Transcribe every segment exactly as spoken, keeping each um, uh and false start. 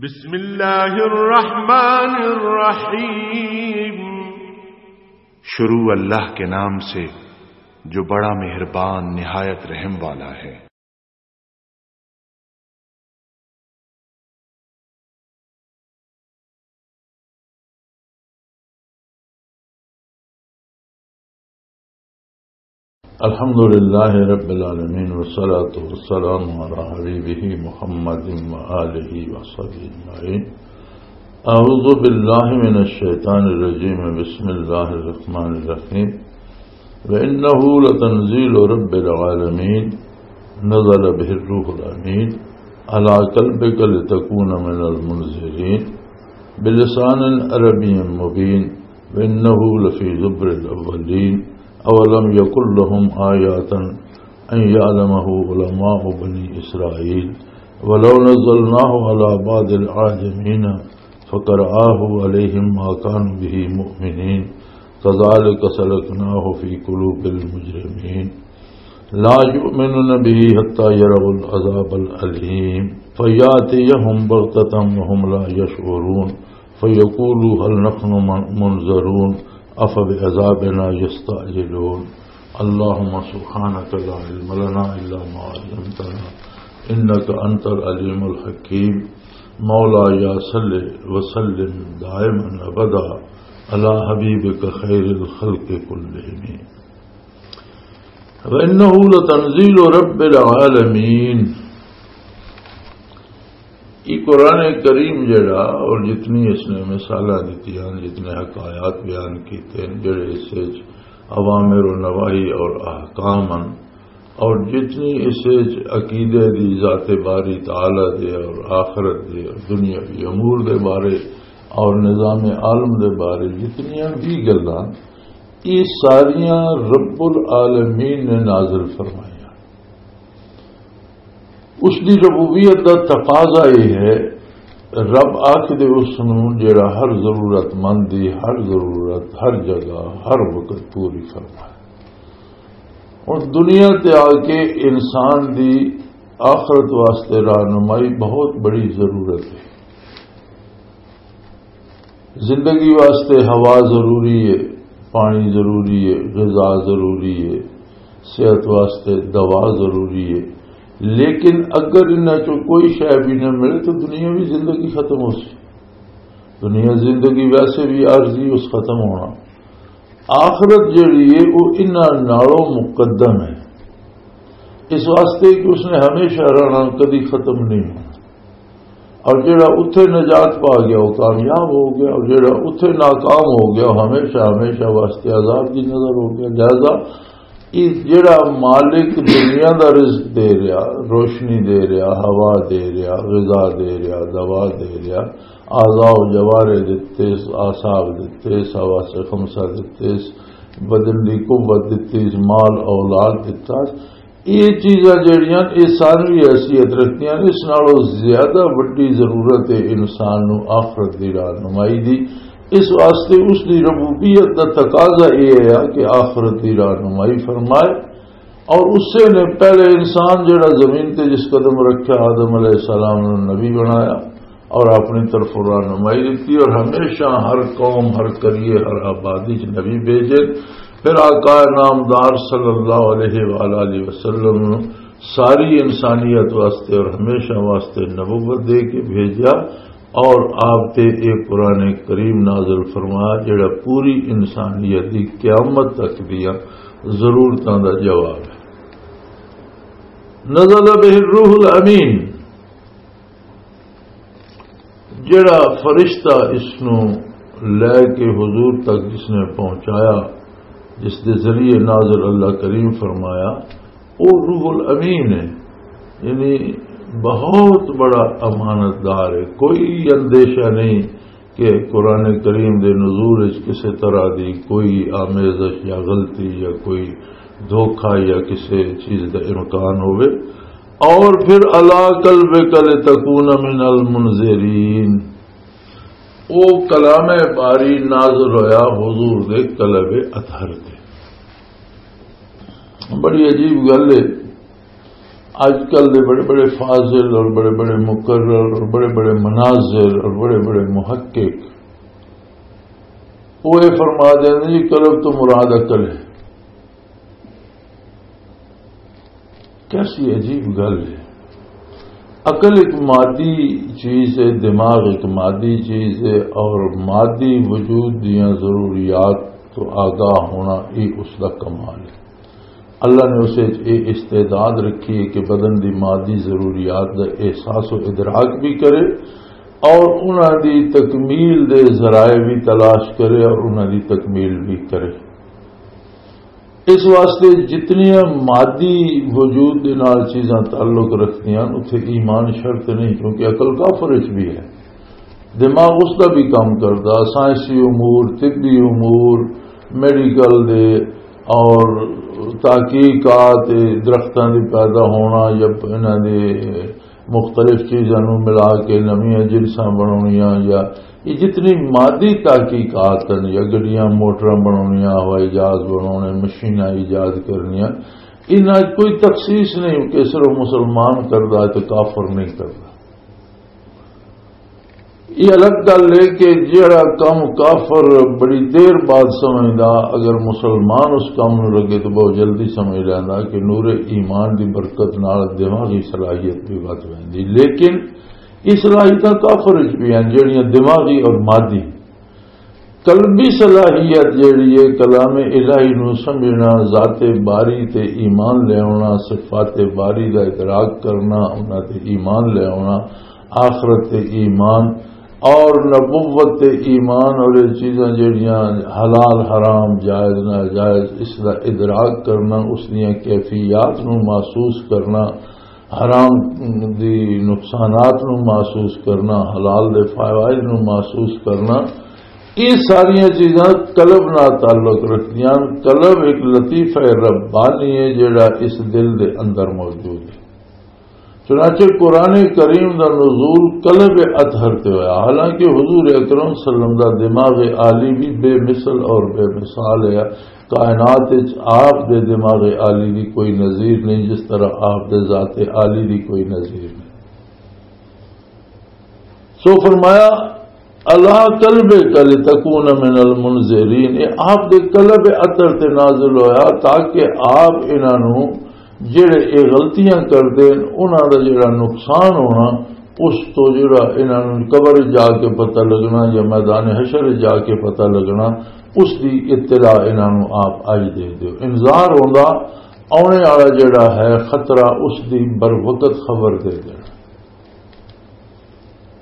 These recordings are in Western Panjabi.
بسم اللہ الرحمن الرحیم۔ شروع اللہ کے نام سے، جو بڑا مہربان، نہایت رحم والا ہے۔ الحمد لله رب العالمين، والصلاة والسلام على حبيبه محمد وآله وصحبه أجمعين. أعوذ بالله من الشيطان الرجيم. بسم الله الرحمن الرحيم. وإنه لتنزيل رب العالمين، نزل به الروح الأمين على قلبك لتكون من المنذرين، بلسان عربي مبين، وإنه لفي زبر الأولين. أولم يكن لهم آية أن يعلمه علماء بني إسرائيل، ولو نزلناه على بعض الأعجمين فقرآه عليهم ما كانوا به مؤمنين، كذلك سلكناه في قلوب المجرمين، لا يؤمنون به حتى يروا العذاب الأليم، فيأتيهم بغتة وهم لا يشعرون، فيقولوا هل نحن من-، منذرون، أفبعذابنا يستعجلون. اللهم سبحانك لا علم لنا إلا ما علمتنا، إنك أنت العليم الحكيم. مولاي صل وسلم دائما أبدا على حبيبك خير الخلق كلهم. وإنه لتنزيل رب العالمين. یہ قرآن کریم جڑا، اور جتنی اس نے مثالاں دتیاں، جتنے حکایات بیان کیتے ہیں، جڑے اس وچ اوامر و نواہی اور احکام ہیں، اور جتنی اس وچ عقیدے دی، ذات باری تعالی دے اور آخرت دے اور دنیاوی امور دے بارے اور نظام عالم دے بارے جتنیاں بھی گلاں، یہ ساریاں رب العالمین نے نازل فرمائیاں۔ اس دی ربوبیت دا تقاضا یہ ہے، رب آکھ دے اس نوں جڑا ہر ضرورت مند دی، ہر ضرورت، ہر جگہ، ہر وقت پوری فرمائے۔ اور دنیا تے آ کے انسان دی آخرت واسطے رہنمائی بہت بڑی ضرورت ہے۔ زندگی واسطے ہوا ضروری ہے، پانی ضروری ہے، غذا ضروری ہے، صحت واسطے دوا ضروری ہے۔ لیکن اگر انہاں چوں کوئی شے بھی نہ ملے تو دنیاوی زندگی ختم ہو سی۔ دنیا زندگی ویسے بھی عارضی، اس ختم ہونا۔ آخرت جڑی ہے، وہ انہاں نالوں مقدم ہے، اس واسطے کہ اس نے ہمیشہ رہنا، کدی ختم نہیں ہونا۔ اور جڑا اتھے نجات پا گیا، وہ کامیاب ہو گیا، اور جڑا اتھے ناکام ہو گیا، وہ ہمیشہ، ہمیشہ واسطے عذاب دی نظر ہو گیا۔ لہذا یہ جڑا مالک دنیا دا رزق دے رہا، روشنی دے رہا، ہوا دے رہا، غذا دے رہا، دوا دے رہا، اعضاء و جوارے دتے، اعصاب دتے، حواس خمسہ دتے، بدن دی قوت دتی، مال اولاد دتا، یہ چیزاں جڑیاں، یہ ثانوی حیثیت رکھدیاں، اس نالوں زیادہ وڈی ضرورت ہے انسان نو آخرت دی رہنمائی دی۔ اس واسطے اس دی ربوبیت دا تقاضا یہ ہے کہ آخرت دی رہنمائی فرمائے۔ اور اسے نے پہلے انسان جڑا زمین تے جس قدم رکھا، آدم علیہ السلام نو نبی بنایا اور اپنی طرف رہنمائی دتی، اور ہمیشہ ہر قوم، ہر قریے، ہر آبادی چ نبی بھیجے۔ پھر آقا نامدار صلی اللہ علیہ وآلہ وسلم ساری انسانیت واسطے اور ہمیشہ واسطے نبوت دے کے بھیجا، اور آپ تے ایک قرآن کریم نازل فرمایا، جڑا پوری انسانیت دی قیامت تک دیاں ضرورتاں دا جواب ہے۔ نزل به الروح الامین، جڑا فرشتہ اس نو لے کے حضور تک جس نے پہنچایا، جس دے ذریعے نازل اللہ کریم فرمایا، وہ روح الامین ہے، یعنی بہت بڑا امانت دار ہے۔ کوئی اندیشہ نہیں کہ قرآن کریم دے نزول وچ کسی طرح دی کوئی آمیزش یا غلطی یا کوئی دھوکہ یا کسی چیز دا امکان ہوئے۔ اور پھر علی قلبک لتکون من المنذرین، او کلام باری نازل ہویا حضور دے قلب اطہر تے۔ بڑی عجیب گل ہے۔ آج کل دے بڑے بڑے فاضل اور بڑے بڑے مقرر اور بڑے بڑے مناظر اور بڑے بڑے محقق، وہ یہ فرما دیں جی، قلب تو مراد عقل ہے۔ کیسی عجیب گل ہے۔ عقل ایک مادی چیز ہے، دماغ ایک مادی چیز ہے، اور مادی وجود دیاں ضروریات تو آگاہ ہونا، یہ اس کا کمال ہے۔ اللہ نے اسے یہ استعداد رکھی ہے کہ بدن دی مادی ضروریات دا احساس و ادراک بھی کرے اور انہاں دی تکمیل دے ذرائع بھی تلاش کرے اور انہاں دی تکمیل بھی کرے۔ اس واسطے جتنیاں مادی وجود دے نال چیزاں تعلق رکھدیاں، اتھے ایمان شرط نہیں، کیونکہ عقل کافر وچ بھی ہے۔ دماغ اس دا بھی کام کردا، سائنسی امور، طبی امور، میڈیکل دے اور تحقیقات، درختاں دی پیدا ہونا یا انہاں دے مختلف چیزاں نوں ملا کے نویاں جنساں بناونیاں، یا یہ جتنی مادی تحقیقات ہیں، یا گڈیاں موٹراں بناونیاں، ہوائی جہاز بناونے، مشیناں ایجاد کرنیاں، انہاں کوئی تخصیص نہیں کہ صرف مسلمان کردا ہے تے کافر نہیں کردا۔ یہ الگ گل ہے کہ جہڑا کم کافر بڑی دیر بعد سمجھدا، اگر مسلمان اس کم نوں لگے تو بہت جلدی سمجھ لیندا کہ نور ایمان دی برکت نال دماغی صلاحیت بھی ودھ ویندی۔ لیکن یہ صلاحیتاں کافر وچ بھی ہیں، جہڑیاں دماغی اور مادی۔ قلبی صلاحیت جہڑی ہے، کلام الہی نو سمجھنا، ذات باری تے ایمان لے آنا، صفات باری دا ادراک کرنا، انہاں تے ایمان لے آنا، آخرت تے ایمان اور نبوت تے ایمان، اور یہ چیزاں جہڑیاں حلال حرام، جائز ناجائز، اس دا ادراک کرنا، اس دیاں کیفیات نو محسوس کرنا، حرام دی نقصانات نو محسوس کرنا، حلال دے فوائد نو محسوس کرنا، یہ ساریاں چیزاں قلب نال تعلق رکھدیاں۔ قلب ایک لطیفہ ربانی ہے جڑا اس دل دے اندر موجود ہے۔ چنانچہ قرآن کریم دا نزول قلب اطہر تے ہویا، حالانکہ حضور اکرم صلی اللہ علیہ وسلم دا دماغ عالی بھی بے مثل اور بے مثال ہے۔ کائنات وچ آپ دے دماغ عالی دی کوئی نظیر نہیں، جس طرح آپ دے ذات عالی دی کوئی نظیر نہیں۔ سو فرمایا، "اللہ قلب کل تکون من المنذرین"، یہ آپ دے قلب اطہر تے نازل ہویا تاکہ آپ انہاں نوں جڑے یہ غلطیاں کردے ہیں، انہاں دا جڑا نقصان ہونا، اس تو جڑا انہاں نوں قبر جا کے پتہ لگنا یا میدان حشر جا کے پتہ لگنا، اس دی اطلاع انہاں نوں آپ آئی دے دیو۔ انذار ہوندا، آنے والا جڑا ہے خطرہ، اس دی بر وقت خبر دے دینا۔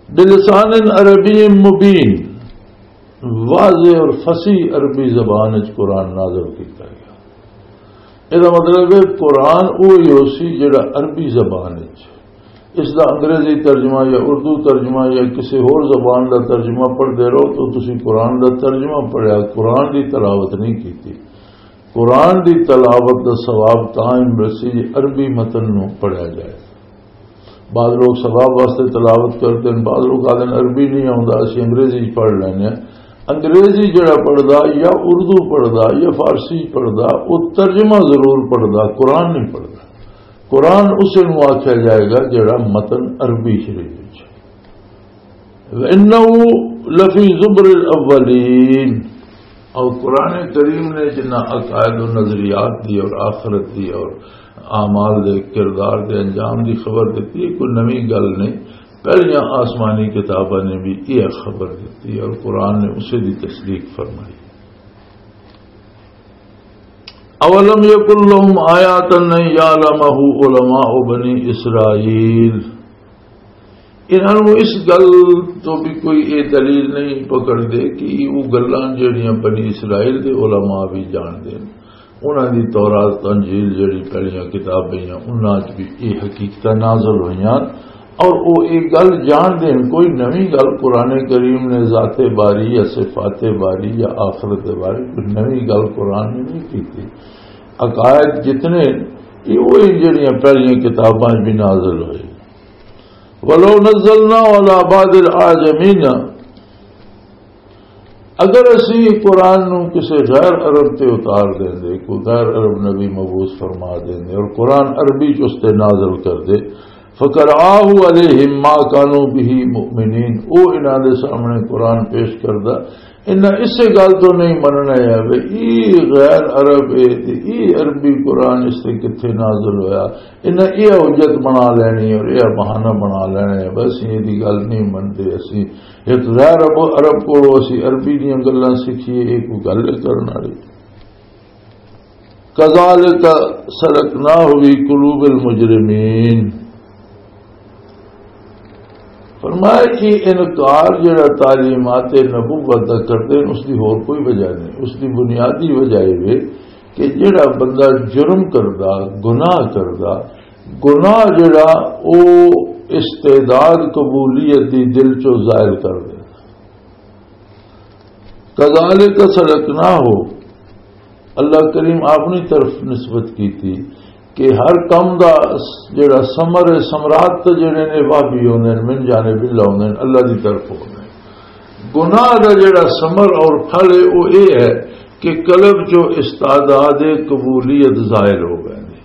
بلسان عربی مبین، واضح اور فصیح عربی زبان وچ قرآن نازل کیتا گیا۔ اس دا مطلب ہے قرآن وہی ہو سی جڑا عربی زبان وچ، اس دا انگریزی ترجمہ یا اردو ترجمہ یا کسی ہور زبان دا ترجمہ پڑھدے رہو تو تسی قرآن دا ترجمہ پڑھیا، قرآن دی تلاوت نہیں کیتی۔ قرآن دی تلاوت دا ثواب تاں ہی ملسی جے عربی متن نوں پڑھیا جائے۔ بعض لوگ ثواب واسطے تلاوت کرتے ہیں، بعض لوگ آدھے عربی نہیں آوندا، اسی انگریزی پڑھ لینے ہیں۔ انگریزی جڑا پڑھدا یا اردو پڑھدا یا فارسی پڑھدا، وہ ترجمہ ضرور پڑھدا، قرآن نہیں پڑھدا۔ قرآن اسے نوں آکھیا جائے گا جڑا متن عربی شریف وچ۔ وَإِنَّهُ لَفِي زُبُرِ الْأَوَّلِينَ۔ اور قرآن کریم نے جنہ عقائد و نظریات دی اور آخرت دی اور اعمال دے، کردار دے انجام دی خبر دیتی ہے، کوئی نویں گل نہیں۔ پہلیاں آسمانی کتاباں نے بھی یہ خبر دیتی اور قرآن نے اسے دی تصدیق فرمائی۔ اولم یکن لہم آیاتن ان یعلمہ علماء بنی اسرائیل۔ انہاں نوں اس گل تو بھی کوئی یہ دلیل نہیں پکڑ دے کہ وہ گلاں جڑیاں بنی اسرائیل دے علماء بھی جان دے۔ انہاں دی تورات، انجیل جڑی پہلیاں کتابیں ہیں، انہاں 'چ بھی یہ حقیقتاں نازل ہوئیاں اور وہ یہ گل جان دین، کوئی نویں گل قرآن کریم نے ذات باری یا صفات باری یا آخرت باری کوئی نویں گل قرآن نے نہیں کی۔ عقائد جتنے، یہ وہی جڑیاں پہلیاں کتاباں 'چ بھی نازل ہوئے۔ ولو نزلنا على بعض الأعجمين، اگر اسی قرآن نو کسی غیر عرب تے اتار دیندے، کوئی غیر عرب نبی مبعوث فرما دیندے اور قرآن عربی چ اس تے نازل کر دے، فقرآہ علیہم ما کانوا بہ مؤمنین، او انہاں دے سامنے قرآن پیش کردا، انہاں اسے گل تو نہیں مننا ہے کہ ای غیر عرب ہے تے ای عربی قرآن اس تے کتھے نازل ہویا۔ انہاں یہ حجت بنا لینی اور یہ بہانہ بنا لینا ہے، بس یہ دی گل نہیں منتے اسی۔ ایک غیر عرب، عرب کولوں اسی عربی دیاں گلاں سکھیے، یہ کوئی گل ہے کرن والی؟ کذالک سلکناہ فی قلوب المجرمین۔ فرمایا کہ انکار جڑا تعلیمات نبوت دا کردے نے، اس دی ہور کوئی وجہ نہیں۔ اس دی بنیادی وجہ یہ ہے کہ جڑا بندہ جرم کردا، گناہ کردا، گناہ جڑا او استعداد قبولیت دی دل چوں ظاہر کر دے۔ کذالک سلکناہ، اللہ کریم اپنی طرف نسبت کیتی کہ ہر کم دا جڑا ثمر ہے، ثمرات تے جڑے نے، وہ بھی ہوندے نے، من جانب اللہ ہوندے نے، اللہ دی طرف ہوندے نے۔ گناہ دا جڑا ثمر اور پھل ہے، وہ یہ ہے کہ قلب چو استعداد قبولیت ظاہر ہو گئے نے۔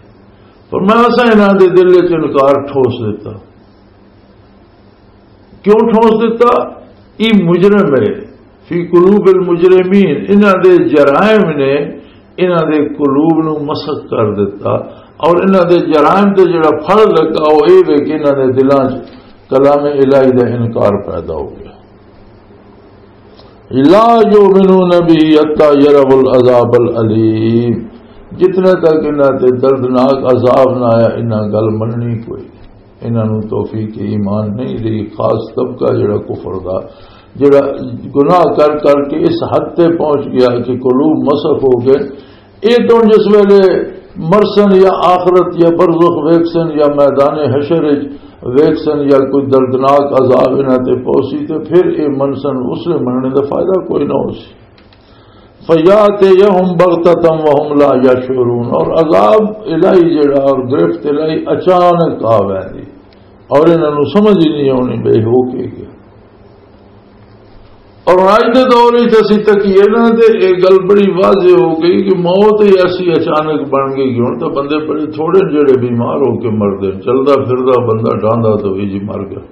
فرمایا، اساں انہاں دے دل وچ انکار ٹھوس دیتا۔ کیوں ٹھوس دیتا؟ ای مجرم ہے۔ فی قلوب المجرمین، انہاں دے جرائم نے انہاں دے قلوب نو مسخ کر دیتا، اور انہاں دے جرائم تے جڑا پھل لگا، وہ اے وے کہ انہاں دے دلاں 'چ کلام الہی دا انکار پیدا ہو گیا۔ لا یؤمنون به حتی یروا العذاب العلیم۔ جتنے تک انہاں تے دردناک عذاب نہ آیا، انہاں گل مننی کوئی، انہاں نوں توفیق ایمان نہیں رہی۔ خاص طبقہ جڑا کفر دا، جڑا گناہ کر کر کے اس حد تے پہنچ گیا کہ قلوب مسخ ہو گئے، اے تو جس ویلے مرسن یا آخرت یا برزخ ویکسن یا میدان حشر وچ ویکسن یا کوئی دردناک عذاب انہاں تے پہنچی تے پھر اے منسن، اس لئے مننے دا فائدہ کوئی نہ ہو سی۔ فیاتیہم بغتۃ وہم لا یشعرون، اور عذاب الہی جڑا اور گرفت الہی اچانک آ ویندی اور انہاں نوں سمجھ ہی نہیں آنی بے ہو کے گیا۔ اور اج دے دور وچ اسی تکیے نا تے اے گل بڑی واضح ہو گئی کہ موت ہی ایسی اچانک بن گئی۔ ہن تاں بندے بڑے تھوڑے جڑے بیمار ہو کے مردے، چلدا پھردا بندہ ڈاندا تو وی جی مر گیا۔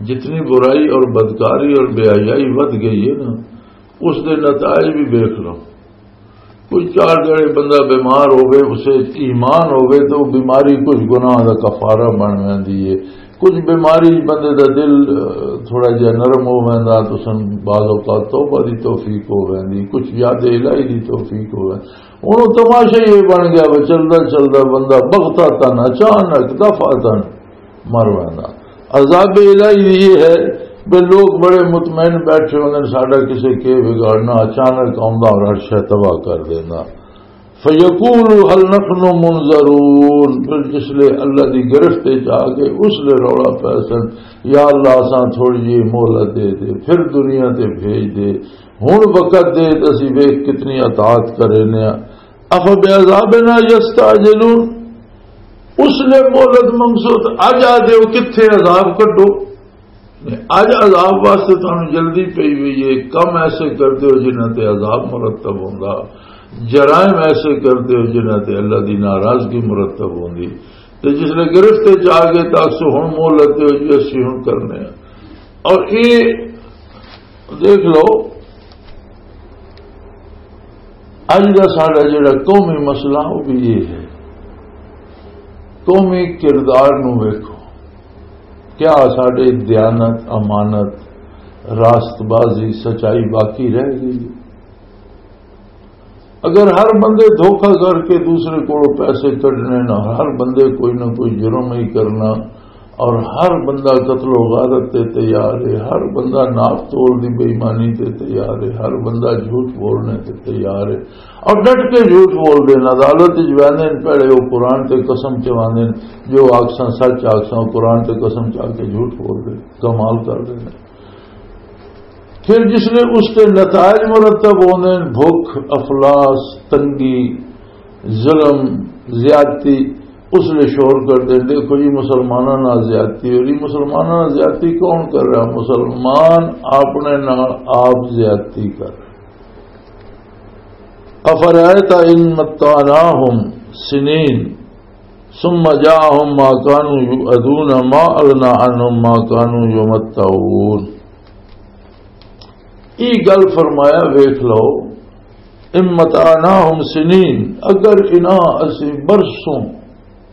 جتنی برائی اور بدکاری اور بے حیائی ودھ گئی ہے نا، اس دے نتائج بھی دیکھ لو۔ کوئی چار جنے بندہ بیمار ہوے، اسے ایمان ہوے تو بیماری کچھ گناہ دا کفارہ بن ویندی ہے۔ کچھ بیماری بندے دا دل، اہ، تھوڑا جہا نرم ہو ویندا، تو سن بعض اوقات توبہ دی توفیق ہو ویندی، کچھ یاد الہی دی توفیق ہو ویندی۔ ہن او تماشا ہی یہ بن گیا وے، چلدا چلدا بندہ بغتتاً، اچانک، دفعتاً مر ویندا۔ عذاب الہی یہ ہے کہ لوگ بڑے مطمئن بیٹھے ہوندے نے، ساڈا کسے کے بگاڑنا، اچانک آوندا اور ہر شے تباہ کر دیندا۔ فیقول هل نحن منظرون، پھر جس لے اللہ دی گرفت وچ آ گئے، اس لے رولا پے سن، یا اللہ، اساں تھوڑی جی مہلت دے دے، پھر دنیا تے بھیج دے، ہن وقت دے تے اسی ویکھ کتنی اطاعت کرے نے۔ افبعذابنا یستعجلون، اس لے مہلت منگسو تے اج آ دیو، کتھے عذاب کڈو۔ اج عذاب واسطے تانوں جلدی پئی ہوئی ہے، کم ایسے کردے ہو جنہاں تے عذاب مرتب ہوندا، جرائم ایسے کردے ہو جنہاں تے اللہ دی ناراضگی مرتب ہوندی۔ تے جس لے گرفت وچ آ گئے تاں اسو ہن مہلت دیو جی، اسی ہن کرنے ہیں۔ اور اے دیکھ لو، اج دا ساڈا جڑا قومی مسئلہ، وہ بھی یہ ہے، قومی کردار نو ویکھو، کیا ساڈے دیانت، امانت، راست بازی، سچائی باقی رہ گئی ہے؟ اگر ہر بندے دھوکہ کر کے دوسرے کولوں پیسے کڈنے نہ، ہر بندے کوئی نہ کوئی جرم ہی کرنا، اور ہر بندہ قتل و غارت تے تیار ہے، ہر بندہ ناپ تول دی بے ایمانی تے تیار ہے، ہر بندہ جھوٹ بولنے تے تیار ہے، اور ڈٹ کے جھوٹ بول دے۔ عدالت وچ ویندے نے، پہلے وہ قرآن تے قسم چواندے نے، جو آکساں سچ آکساں، قرآن تے قسم چا کے جھوٹ بول دے، کمال کر دے۔ پھر جس لئے اس تے نتائج مرتب ہوندے نے، بھوک، افلاس، تنگی، ظلم، زیادتی، اس لیے شور کر دیں، "دیکھو جی، مسلمانوں نال زیادتی ہو رہی۔" مسلمانوں نال زیادتی کون کر رہا؟ مسلمان اپنے نال آپ زیادتی کر رہا۔ "افرأیت ان متعناہم سنین ثم جاءہم ما کانوا یوعدون ما اغنی عنہم ما کانوا یمتعون۔" ای گل فرمایا، ویکھ لو، "ان متعناہم سنین"، اگر انہاں اسی برسوں،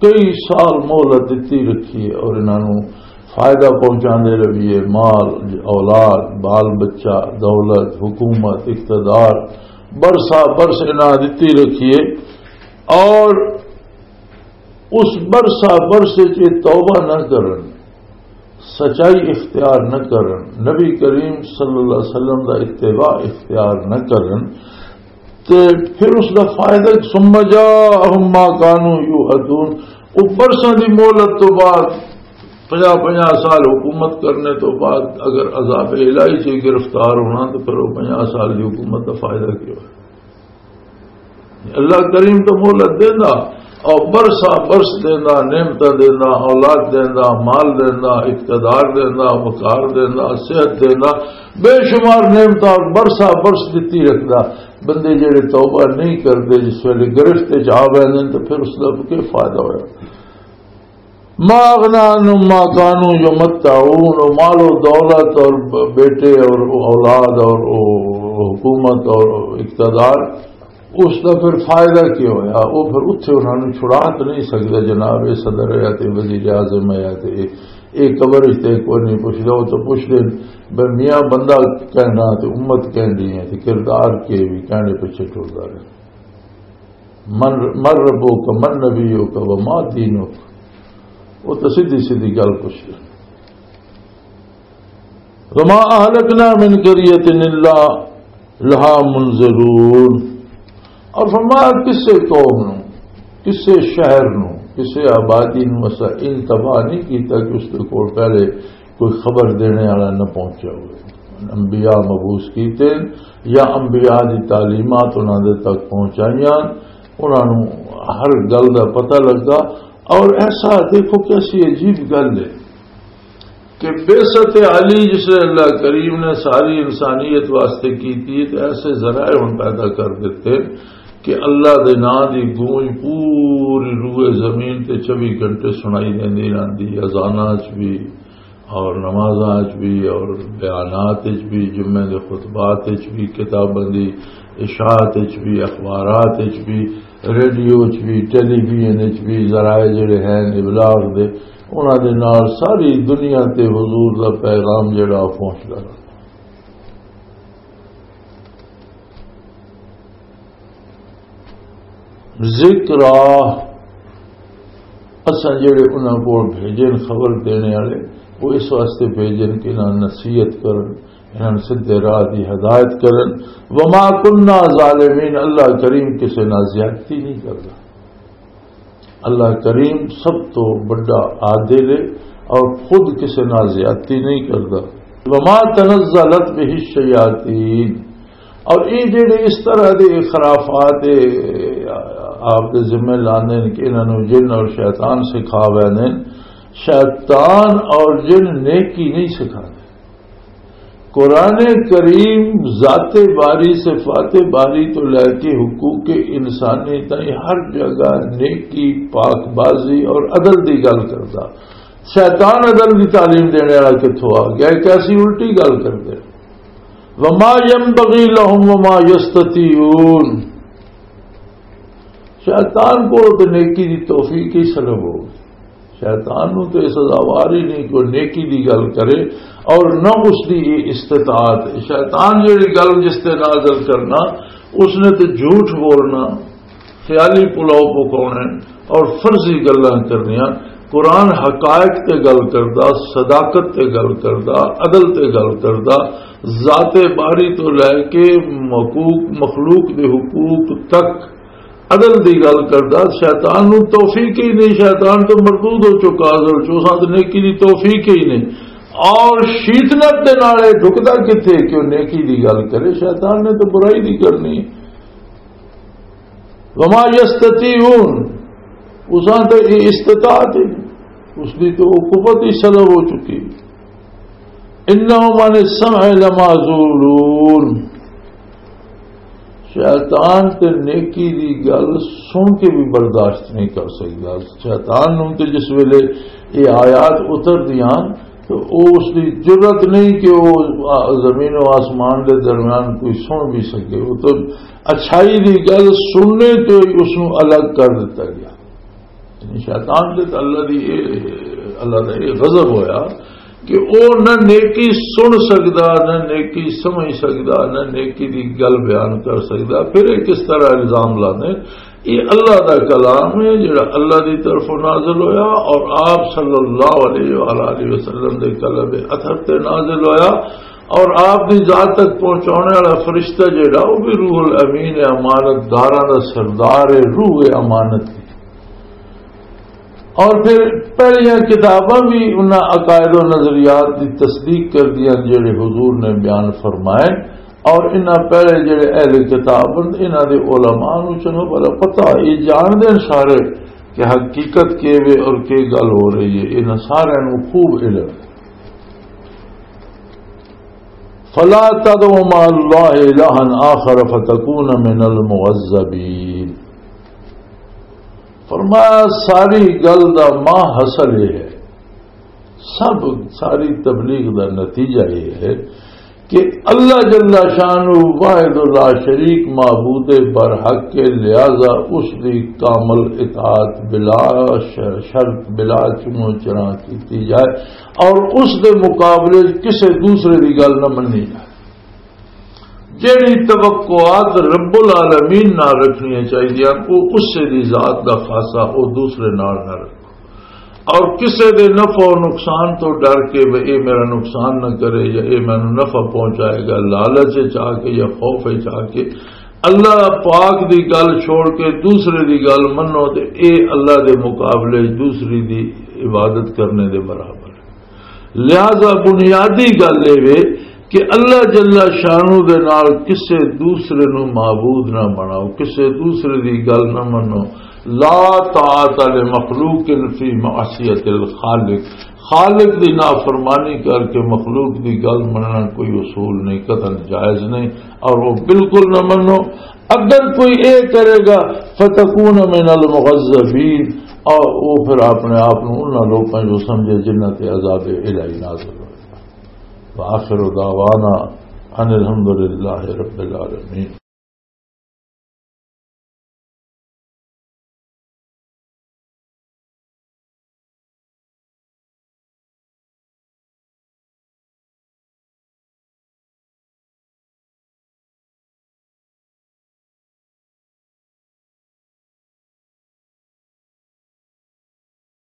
کئی سال مہلت دتی رکھیے اور انہاں نوں فائدہ پہنچاندے رہیے، مال، اولاد، بال بچہ، دولت، حکومت، اقتدار، برسا برس انہاں دتی رکھیے، اور اس برسا برس وچ یہ توبہ نہ کرن، سچائی اختیار نہ کرن، نبی کریم صلی اللہ علیہ وسلم دا اتباع اختیار نہ کرن، تے پھر اس دا فائدہ، "ثم جاءہم ما کانوا یوعدون"، وہ برساں دی مہلت تو بعد، پنجاہ پنجاہ سال حکومت کرنے تو بعد اگر عذاب الہی سے گرفتار ہونا، تو پھر وہ پنجاہ سال دی حکومت دا فائدہ کیا ہویا؟ اللہ کریم تو مہلت دیندا، اور برسا برس دیندا، نعمتاں دیندا، اولاد دیندا، مال دیندا، اقتدار دیندا، وقار دیندا، صحت دیندا، بے شمار نعمتاں اور برسا برس دتی رکھدا۔ بندے جڑے توبہ نہیں کردے، جس ویلے گرفت وچ آ ویندے نے، تو پھر اس دا کی فائدہ ہویا؟ "ما اغنی عنہم ما کانوا یمتعون"، وہ مال و دولت اور ب-، بیٹے اور وہ اولاد اور وہ حکومت اور اقتدار، اس دا پھر فائدہ کی ہویا؟ وہ پھر اتھے انہاں نوں چھڑا تے نہیں سکدا، جناب، یہ صدر ہے تے وزیر اعظم ہے تے یہ قبر وچ تے کوئی نہیں پوچھدا، وہ تو پوچھدے، بے میاں بندہ کہنا تے امت کہندی ہے تے کردار کے بھی کہنے پیچھے ٹردا رہے۔ من، من ربک، من نبیک، وما دینک۔ وہ تو سیدھی سیدھی گل پوچھدے۔ وما اہلکنا من قریۃ الا لہا منذرون۔ اور فرمایا، کسے قوم نو، کسے شہر نو، کسے آبادی نو اسا ان تباہ نہیں کیتا کہ اس دے کول پہلے کوئی خبر دینے والا نہ پہنچا ہوئے۔ انبیاء مبعوث کیتے یا انبیاء دی تعلیمات انہاں دے تک پہنچائیاں، انہاں نوں ہر گل دا پتہ لگا۔ اور ایسا دیکھو کیسی عجیب گل ہے کہ بعثت علی جس نے اللہ کریم نے ساری انسانیت واسطے کی تھی، تو ایسے ذرائع ہن پیدا کر دیتے کہ اللہ دے نام دی گونج پوری روئے زمین تے چوبی گھنٹے سنائی دیندی رہندی، اذاناں چ بھی اور نمازاں چ بھی اور بیانات چ بھی، جمعے دے خطبات چ بھی، کتاباں دی اشاعت چ بھی، اخبارات چ بھی، ریڈیو چ بھی، ٹیلی ویژن چ بھی، ذرائع جڑے ہیں ابلاغ دے، انہاں دے نال ساری دنیا تے حضور دا پیغام جڑا پہنچدا رہا۔ ذکر آ، اساں جڑے انہاں کول بھیجن خبر دینے والے، وہ اس واسطے بھیجن کہ انہاں نصیحت کرن، انہاں سدھے راہ دی ہدایت کرن۔ وما کننا ظالمین، اللہ کریم کسے نال زیادتی نہیں کردا۔ اللہ کریم سب تو بڑا عادل ہے اور خود کسے نال زیادتی نہیں کردا۔ وما تنزلت به الشیاطین، اور یہ جڑے اس طرح دے خرافات، اے، آپ دے ذمہ لاندے نے کہ انہاں نوں جن اور شیطان سکھا ویندے نے، شیطان اور جن نیکی نہیں سکھاندے۔ قرآن کریم ذات باری، صفات باری تو لے کے حقوق انسانی تائیں ہر جگہ نیکی، پاک بازی اور عدل دی گل کردا۔ شیطان عدل دی تعلیم دینے والا کتھوں آ گیا؟ ایک ایسی الٹی گل کردے۔ وما ينبغي لهم وما يستطيعون۔ شیطان کو تو نیکی دی توفیق ہی سلب ہو۔ شیطان نو تو یہ سزاوار ہی نہیں کہ وہ نیکی دی گل کرے اور نہ اس دی یہ استطاعت۔ شیطان جڑی گل جس تے نازل کرنا، اس نے تو جھوٹ بولنا، خیالی پلاؤ پکاؤنے اور فرضی گلاں کرنیاں۔ قرآن حقائق تے گل کردا، صداقت تے گل کردا، عدل تے گل کردا، ذات باری تو لے کے مخلوق، مخلوق دے حقوق تک عدل دی گل کردا۔ شیطان نو توفیق ہی نہیں، شیطان تو مردود ہو چکا، اصل چ اساں تے نیکی دی توفیق ہی نہیں۔ اور شیطنت دے نال اے ڈھکدا کتھے کہ وہ نیکی دی گل کرے؟ شیطان نے تو برائی دی کرنی ہے۔ وما یستطیعون، اساں تے یہ استطاعت ہی نہیں، اس دی تو وہ قوت ہی سلب ہو چکی۔ انہم عن السمع لمعزولون۔ شیطان تے نیکی دی گل سن کے بھی برداشت نہیں کر سکدا۔ شیطان نوں تے جس ویلے یہ آیات اتر دیاں تو او اس دی جرات نہیں کہ وہ زمین و آسمان دے درمیان کوئی سن بھی سکے۔ وہ تو اچھائی دی گل سننے تو ہی اس نوں الگ کر دتا گیا۔ یعنی شیطان دے تے اللہ دی اے، اللہ دا اے غضب ہویا کہ او نہ نیکی سن سکدا، نہ نیکی سمجھ سکدا، نہ نیکی دی گل بیان کر سکدا۔ پھر یہ کس طرح الزام لانے؟ یہ اللہ دا کلام ہے جڑا اللہ دی طرفوں نازل ہویا اور آپ صلی اللہ علیہ وآلہ وسلم دے قلب اطہر تے نازل ہویا، اور آپ دی ذات تک پہنچانے والا فرشتہ جڑا، وہ بھی روح الامین ہے، امانت داراں دا سردار ہے، روح امانت ہے۔ اور پھر پہلیاں کتاباں بھی انہاں عقائد و نظریات دی تصدیق کر دیاں جڑے حضور نے بیان فرمائے، اور انہاں پہلے جڑے اہل کتاب ہن، انہاں دے علماء نوں چنگا بھلا پتہ، یہ جان دے سارے کہ حقیقت کی وے اور کی گل ہو رہی ہے، انہاں سارے نوں خوب علم ہے۔ فلا تدع مع اللہ الہا آخر فتکون من المعذبین۔ فرمایا، ساری گل دا ماں حاصل یہ ہے، سب ساری تبلیغ دا نتیجہ یہ ہے کہ اللہ جل شانہ واحد لا شریک معبود برحق کے، لہذا اس دی کامل اطاعت بلا ش-، شرط، بلا چنو چرا کیتی جائے، اور اس دے مقابلے وچ کسے دوسرے دی گل نہ مننی جائے۔ جیڑی توقعات رب العالمین نال رکھنیاں چاہیدیاں، وہ اسے دی ذات دا خاصا، وہ دوسرے نال نہ رکھو۔ اور کسے دے نفع و نقصان تو ڈر کے، "وہ اے میرا نقصان نہ کرے یا اے مینوں نفع پہنچائے گا"، لالچ وچ آ کے یا خوف وچ آ کے اللہ پاک دی گل چھوڑ کے دوسرے دی گل منو، تے اے اللہ دے مقابلے وچ دوسری دی عبادت کرنے دے برابر ہے۔ لہذا بنیادی گل اے وے کہ اللہ جل شانہ دے نال کسے دوسرے نو معبود نہ بناؤ، کسے دوسرے دی گل نہ منو۔ لا طاعت لمخلوق فی معصیت الخالق۔ خالق دی نافرمانی کر کے مخلوق دی گل مننا کوئی اصول نہیں، قطعاً جائز نہیں، اور وہ بالکل نہ منو۔ اگر کوئی اے کرے گا، فتکون من المغذبین، اور وہ پھر اپنے آپ نو انہاں لوکاں جو سمجھے جنہاں تے عذاب الہی نازل ہوئے۔ وآخر دعوانا ان الحمد للہ رب العالمین۔